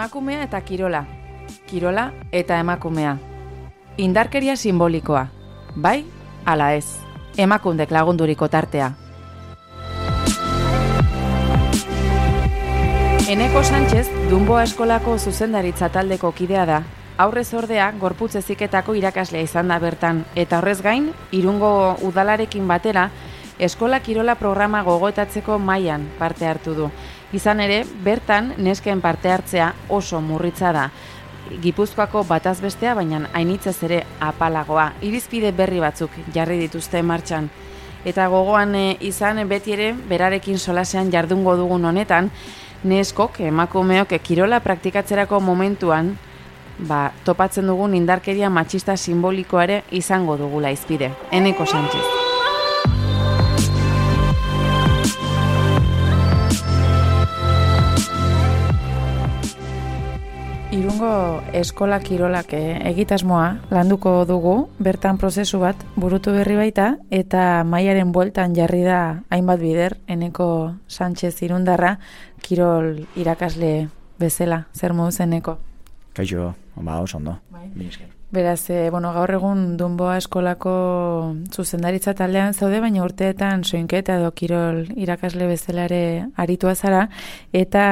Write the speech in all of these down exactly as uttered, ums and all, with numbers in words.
Emakumea eta kirola, kirola eta emakumea. Indarkeria simbolikoa, bai, ala ez, emakundek lagunduriko tartea. Eneko Sánchez, Dunboa eskolako zuzendaritza taldeko kidea da, aurrez ordea gorputz heziketako irakaslea izan da bertan, eta horrez gain, Irungo udalarekin batera, eskola kirola programa gogoetatzeko mailan parte hartu du. Izan ere, bertan nesken parte hartzea oso murritza da. Gipuzkoako bataz bestea, baina hainitzez ere apalagoa. Irizpide berri batzuk jarri dituzte martxan. Eta gogoan e, izan beti ere, berarekin solasean jardungo dugun honetan, neskok, emakumeok, kirola praktikatzerako momentuan, ba, topatzen dugun indarkeria matxista simbolikoa ere izango dugula izpide. Eneko Sánchez. Irungo eskola kirolak egitasmoa landuko dugu, bertan prozesu bat burutu berri baita, eta mailaren bueltan jarri da hainbat bider, Eneko Sánchez irundarra, kirol irakasle bezala. Zer moduz, Eneko? Kaixo, ba, oso ondo. Bai. Beraz, e, bueno, gaur egun Dunboa eskolako zuzendaritza taldean zaude, baina urteetan soinketa edo kirol irakasle bezala ere aritua zara, eta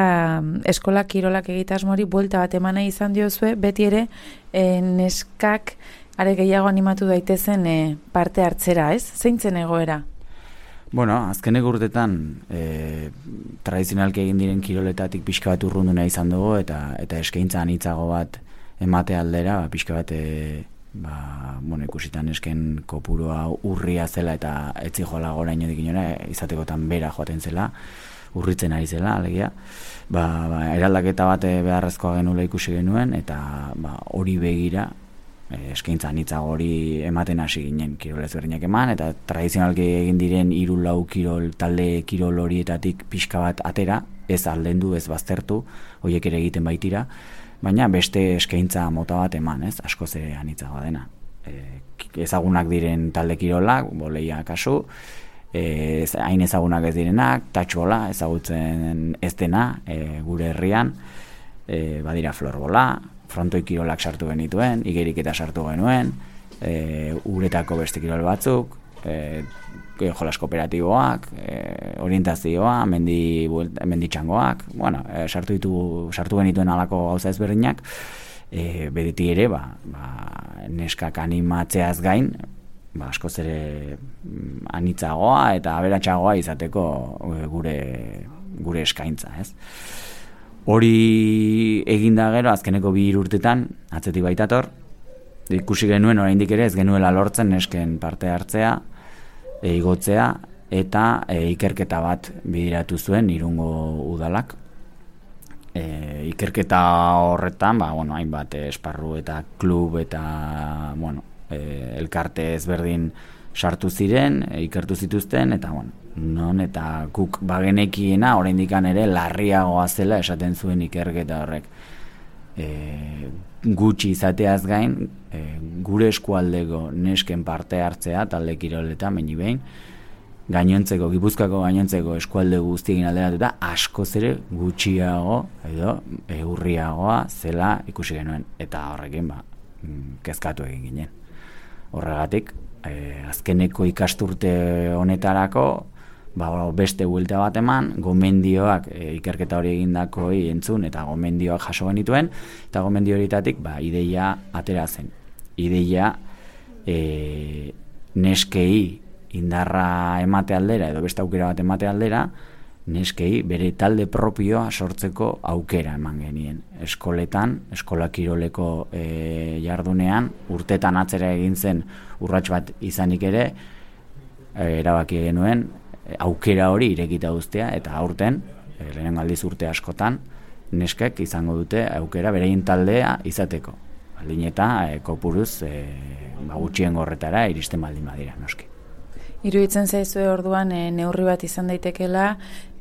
eskola kirolak egitasmoari buelta bat emana izan diozue, beti ere e, neskak are gehiago animatu daitezen e, parte hartzera, ez? Zeintzen egoera? Bueno, azkeneko urteetan e, tradizionalki egin diren kiroletatik pixka bat urrunduna izan dugu, eta, eta eskaintza anitzago bat emate aldera, ba, pixka bat, e, ba, bueno, ikusitan esken kopurua urria zela eta etzi joala gora inodik inora, izatekotan bera joaten zela, urritzen ari zela, alegia. Ba, ba, eraldaketa bat beharrezkoa genula ikusi genuen, eta ba, hori begira, e, eskaintza anitzago hori ematen hasi ginen kirol ezberdinak eman, eta tradizionalki egin diren hiru lau kirol, talde kirol horietatik pixka bat atera, ez aldendu, ez baztertu, horiek ere egiten baitira, baina beste eskaintza mota bat eman, ez, askoz ere anitzagoa dena. E, ezagunak diren talde kirolak, boleia kasu, e, hain ezagunak ez direnak, tatxola, ezagutzen ez dena, e, gure herrian, e, badira florbola, frontoi kirolak sartu genituen, igeriketa sartu genuen, e, uretako beste kirol batzuk, e, jolas kooperatiboak, e, orientazioa, mendi, mendi txangoak, bueno, e, sartu, ditu, sartu genituen alako gauza ezberdinak, e, bedeti ere, ba, ba, neskak animatzeaz gain, ba, askoz ere anitzagoa eta aberatsagoa izateko gure, gure eskaintza, ez? Hori eginda gero, azkeneko bi urtetan, atzetik baitator, ikusi genuen oraindik ere ez genuela lortzen nesken parte hartzea, E, igotzea, eta e, ikerketa bat bideratu zuen Irungo udalak. E, ikerketa horretan, ba, bueno, hainbat esparru eta klub eta bueno, e, elkarte ezberdin sartu ziren, e, ikertu zituzten, eta bueno, non eta guk bagenekiena oraindikan ere larriagoa zela esaten zuen ikerketa horrek. E, gutxi izateaz gain, e, gure eskualdeko nesken parte hartzea talde kiroleta meni behin, gainontzeko, Gipuzkoako gainontzeko eskualde guztiekin alderatuta askoz ere gutxiago edo e, urriagoa zela ikusi genuen, eta horrekin ba, kezkatu egin ginen. Horregatik, e, azkeneko ikasturte honetarako ba, beste buelta bat eman, gomendioak e, ikerketa hori egindakoi entzun eta gomendioak jaso genituen, eta gomendio horietatik ba, ideia atera zen. Ideia e, neskei indarra emate aldera edo beste aukera bat emate aldera, neskei bere talde propioa sortzeko aukera eman genien. Eskoletan, eskola kiroleko e, jardunean, urtetan atzera egin zen urrats bat izanik ere, e, erabaki genuen, aukera hori irekita uztea, eta aurten, e, lehenengo aldiz urte askotan, neskek izango dute aukera berein taldea izateko. Baldin eta e, kopuruz e, ba, gutxien gorretara iristen baldin badira, noski. Iruditzen zaizue orduan e, neurri bat izan daitekela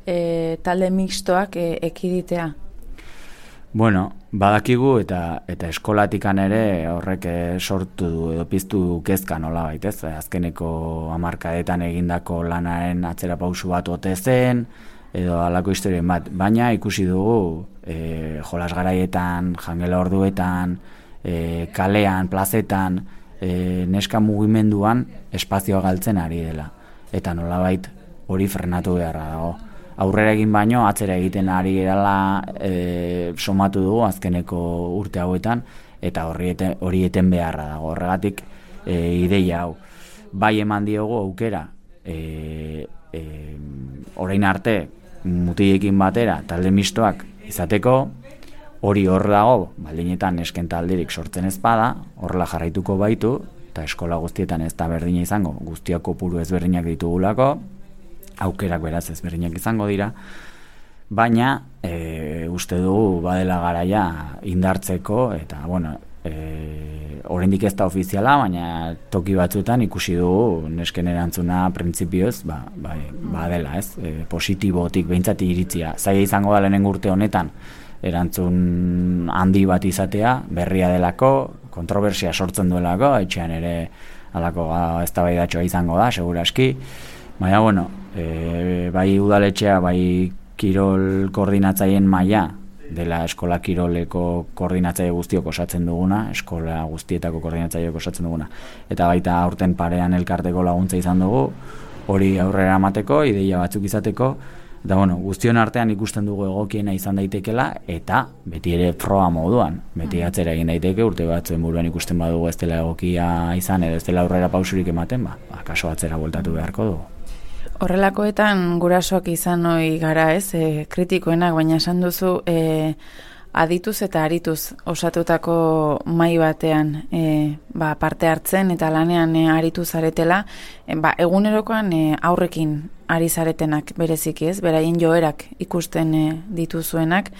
e, talde mixtoak e, ekiditea? Bueno, badakigu eta eta eskolatikan ere horrek sortu du edo piztu du kezka nolabait, ez? Azkeneko hamarkadetan egindako lanaren atzera pausu bat ote zen, edo halako historien bat, baina ikusi dugu e, jolas garaietan, jangela orduetan, e, kalean, plazetan, e, neska mugimenduan espazioa galtzen ari dela, eta nolabait hori frenatu beharra dago. Aurrera egin baino, atzera egiten ari gerala e, somatu dugu azkeneko urte hauetan, eta hori eten, hori eten beharra dago. Horregatik e, ideia hau. Bai eman diogu aukera, e, e, orain arte mutilekin batera talde mistoak izateko, hori hor dago, baldinetan nesken talderik sortzen ez bada, horrela jarraituko baitu, eta eskola guztietan ez da berdina izango, guztiak kopuru ezberdinak ditugulako, aukerak beraz ezberdinak izango dira, baina e, uste dugu badela garaia indartzeko, eta bueno, e, oraindik ez da ofiziala, baina toki batzuetan ikusi dugu nesken erantzuna printzipioz, ba, ba, badela, ez? E, positibotik behintzat iritzia. Zaila izango da lehenengo urte honetan, erantzun handi bat izatea, berria delako, kontrobersia sortzen duelako, etxean ere halako eztabaidatxoa izango da, seguraski. Baina, bueno, e, bai udaletxea, bai kirol koordinatzaileen maila dela eskola kiroleko koordinatzaile guztiok osatzen duguna, eskola guztietako koordinatzaileok osatzen duguna. Eta baita aurten parean elkarteko laguntza izan dugu, hori aurrera emateko, ideia batzuk izateko, eta bueno, guztion artean ikusten dugu egokiena izan daitekela, eta beti ere proa moduan, beti atzera egin daiteke, urte batzuen buruan ikusten badugu ez dela egokia izan, edo ez dela aurrera pausurik ematen, ba, akaso atzera bueltatu beharko dugu. Horrelakoetan gurasoak izan ohi gara, ez, e, kritikoenak, baina esan duzu e, adituz eta arituz osatutako mahai batean e, ba, parte hartzen eta lanean e, aritu zaretela, e, ba, egunerokoan e, aurrekin ari zaretenak bereziki, ez, beraien joerak ikusten e, dituzuenak,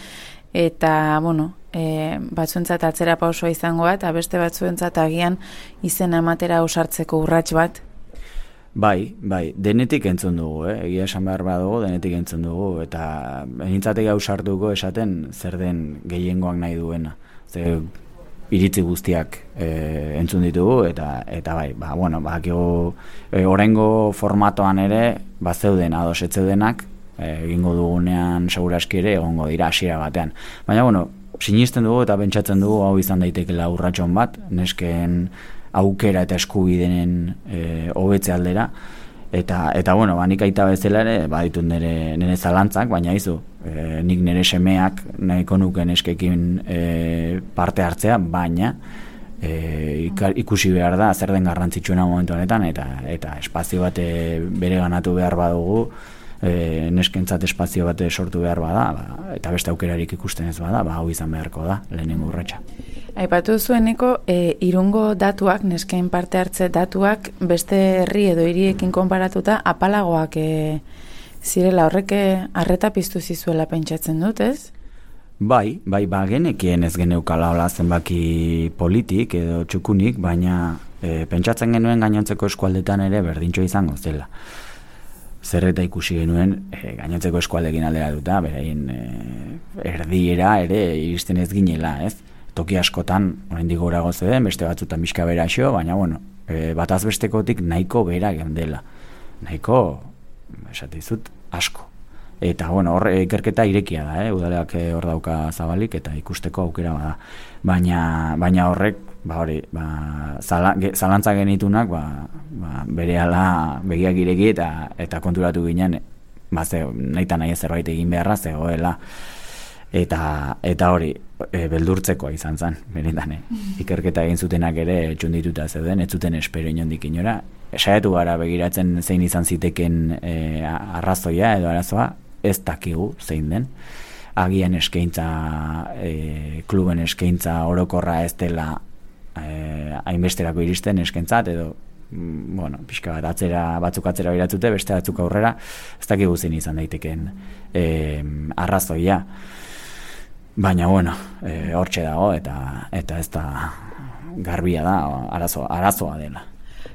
eta, bueno, e, batzuentzat atzera pausoa izango bat, eta beste batzuentzat agian izena ematera ausartzeko urrats bat. Bai, bai, denetik entzun dugu, eh? Egia esan behar badugu, denetik entzun dugu, eta benintzatek ausartuko esaten zer den gehiengoak nahi duena. Ze iritzi guztiak e, entzun ditugu, eta eta bai, ba, bueno, bakigu e, oraingo formatoan ere, ba zeuden ados ez zeudenak, e, egingo dugunean seguraski ere egongo dira hasiera batean. Baina, bueno, sinisten dugu eta pentsatzen dugu hau izan daitekela urratxon bat, nesken aukera eta eskubidenen hobetze e, aldera, eta, eta bueno, ba, nik aita bezala ere, baditut nire, nire zalantzak, baina izu, e, nik nire semeak nahiko nuke neskekin e, parte hartzea, baina e, ikusi behar da, zer den garrantzitsuena momentu honetan, eta, eta espazio bat bere ganatu behar badugu, e, neskentzat espazio bat sortu behar bada, ba, eta beste aukerarik ikusten ez bada, ba, hau izan beharko da, lehenengo urratsa. Aipatu zueneko, e, Irungo datuak, nesken parte hartze datuak, beste herri edo hiriekin konparatuta, apalagoak e, zirela, horrek arreta piztu zizuela pentsatzen dut, ez? Bai, bai, ba, genekien ez geneukala hola zenbaki politik edo txukunik, baina e, pentsatzen genuen gainontzeko eskualdetan ere berdintxo izango zela. Zer eta ikusi genuen e, gainontzeko eskualdekin alderatuta, beraien e, erdiera ere iristen ez ginela, ez? Toki askotan, oraindik gorago zeuden, beste batzutan bizka beraxo, baina, bueno, e, bataz bestekotik nahiko bera geundela. Nahiko, esatizut, asko. Eta, bueno, hor ikerketa irekia da, eh? Udaleak hor dauka zabalik eta ikusteko aukera bada. Baina, baina horrek, ba hori, ba, zala, ge, zalantza genitunak, ba, ba, berehala begiak ireki eta, eta konturatu ginen, ba, ze, nahi eta nahi zerbait egin beharra zegoela. Eta, eta hori, e, beldurtzekoa izan zen, benetan, eh? Ikerketa egin zutenak ere txundituta zeuden, ez zuten espero inondik inora. Saiatu gara begiratzen zein izan ziteken e, arrazoia edo arazoa, ez dakigu zein den. Agian eskaintza, e, kluben eskaintza orokorra ez dela e, hainbesterako iristen eskaintzat, edo bueno, pixka bat atzera, batzuk atzera biratzute, beste batzuk aurrera, ez dakigu zein izan daiteken e, arrazoia. Baina, bueno, e, hortxe dago, eta eta ez da garbia da, arazo, arazoa dela.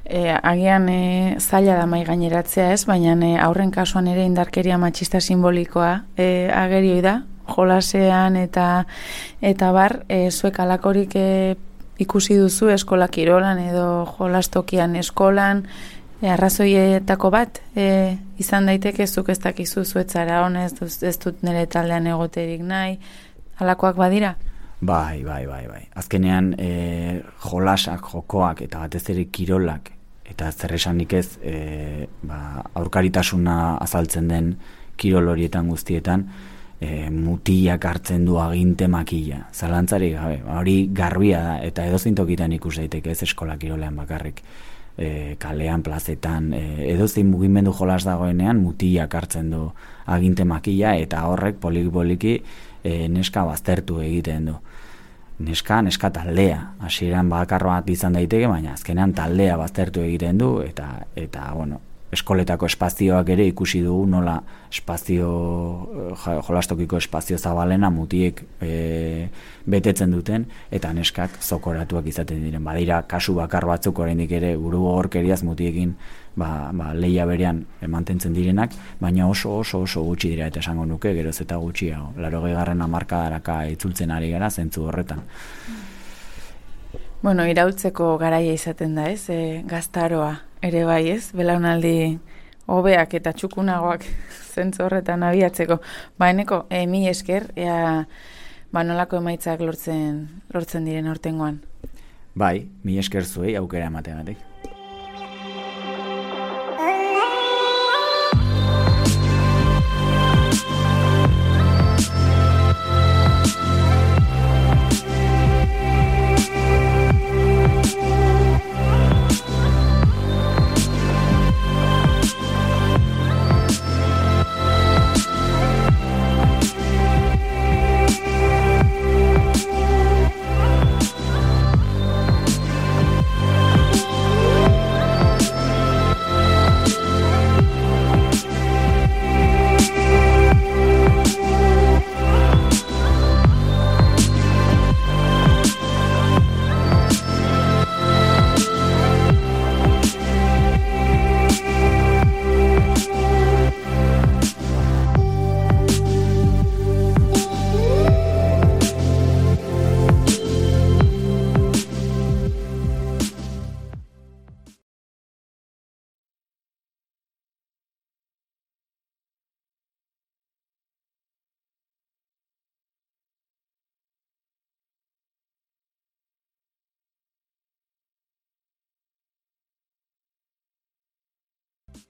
E, agian e, zaila da mai gaineratzea ez, baina e, aurren kasuan ere indarkeria matxista simbolikoa e, agerioi da, jolasean eta eta bar, e, zuek alakorik e, ikusi duzu eskola kirolan edo jolastokian eskolan, E, arrazoietako bat, e, izan daiteke zuk ez dakizu zuetzara honez, ez dut nire taldean egoterik nahi, halakoak badira? Bai, bai, bai, bai. Azkenean e, jolasak, jokoak eta batez ere kirolak eta zer esanik ez e, ba, aurkaritasuna azaltzen den kirol horietan guztietan e, mutilak hartzen du aginte makila. Zalantzarik gabe, hori garbia da eta edozein tokitan ikus daiteke ez eskola kirolean bakarrik. E, kalean, plazetan, e, edozein mugimendu jolas dagoenean mutilak hartzen du aginte makila eta horrek poliki-poliki e, neska baztertu egiten du. Neska, neska taldea. Hasieran bakarro bat izan daiteke, baina azkenean taldea baztertu egiten du eta eta bueno, eskoletako espazioak ere ikusi dugu nola espazio jolastokiko espazio zabalena mutiek e, betetzen duten eta neskak zokoratuak izaten diren. Badira kasu bakar batzuk oraindik ere buru gogorkeriaz mutiekin ba, ba, lehia berean mantentzen direnak, baina oso oso oso gutxi dira eta esango nuke geroz eta gutxiago. Laurogeigarren hamarkadaraka itzultzen ari gara zentzu horretan. Bueno, iraultzeko garaia izaten da, ez? E, gaztaroa ere bai, ez? Belaunaldi hobeak eta txukunagoak zentzu horretan abiatzeko. Ba, eneko, e, mi esker, ea, ba, nolako emaitzak lortzen, lortzen diren hortengoan. Bai, mi esker zuei aukera emateagatik.